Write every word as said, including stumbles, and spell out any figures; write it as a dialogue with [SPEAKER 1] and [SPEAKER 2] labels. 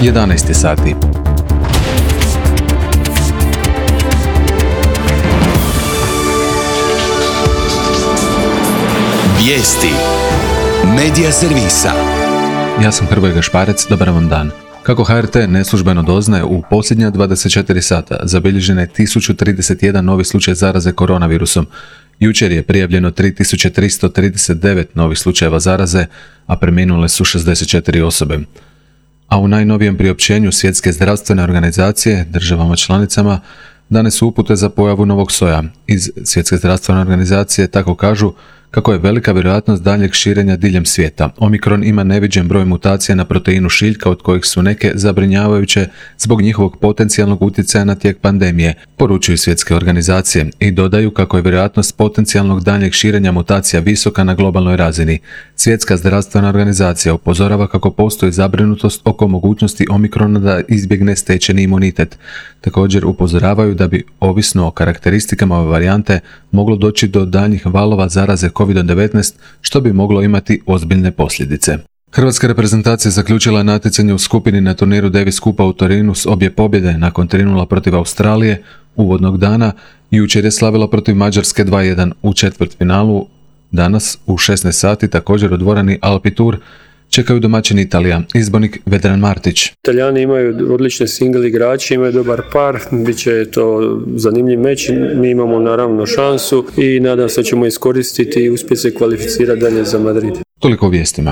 [SPEAKER 1] jedanaest je sati.
[SPEAKER 2] Vijesti Medija servisa.
[SPEAKER 1] Ja sam Hrvoje Gašparec, dobar vam dan. Kako H R T neslužbeno doznaje, u posljednja dvadeset četiri sata zabilježeno je tisuću trideset jedan novi slučaj zaraze koronavirusom. Jučer je prijavljeno tri tisuće tristo trideset devet novih slučajeva zaraze, a preminule su šezdeset četiri osobe. A u najnovijem priopćenju Svjetske zdravstvene organizacije državama članicama dane su upute za pojavu novog soja. Iz Svjetske zdravstvene organizacije tako kažu kako je velika vjerojatnost daljnjeg širenja diljem svijeta. Omikron ima neviđen broj mutacija na proteinu šiljka, od kojih su neke zabrinjavajuće zbog njihovog potencijalnog utjecaja na tijek pandemije, poručuju svjetske organizacije i dodaju kako je vjerojatnost potencijalnog daljnjeg širenja mutacija visoka na globalnoj razini. Svjetska zdravstvena organizacija upozorava kako postoji zabrinutost oko mogućnosti Omikrona da izbjegne stečeni imunitet. Također upozoravaju da bi, ovisno o karakteristikama ove varijante, moglo doći do daljnjih valova zaraze kovid devetnaest, što bi moglo imati ozbiljne posljedice. Hrvatska reprezentacija zaključila natjecanje u skupini na turniru Davis Cupa u Torinu s obje pobjede nakon tri nula protiv Australije uvodnog dana. Jučer je slavila protiv Mađarske dva jedan u četvrtfinalu. Danas u šesnaest sati također u dvorani Alpi Tour čekaju domaćin Italija, izbornik Vedran Martić.
[SPEAKER 3] Italijani imaju odlične single igrače, imaju dobar par, bit će to zanimljiv meč, mi imamo naravno šansu i nadam se da ćemo iskoristiti i uspjeti se kvalificirati dalje za Madrid.
[SPEAKER 1] Toliko o vijestima.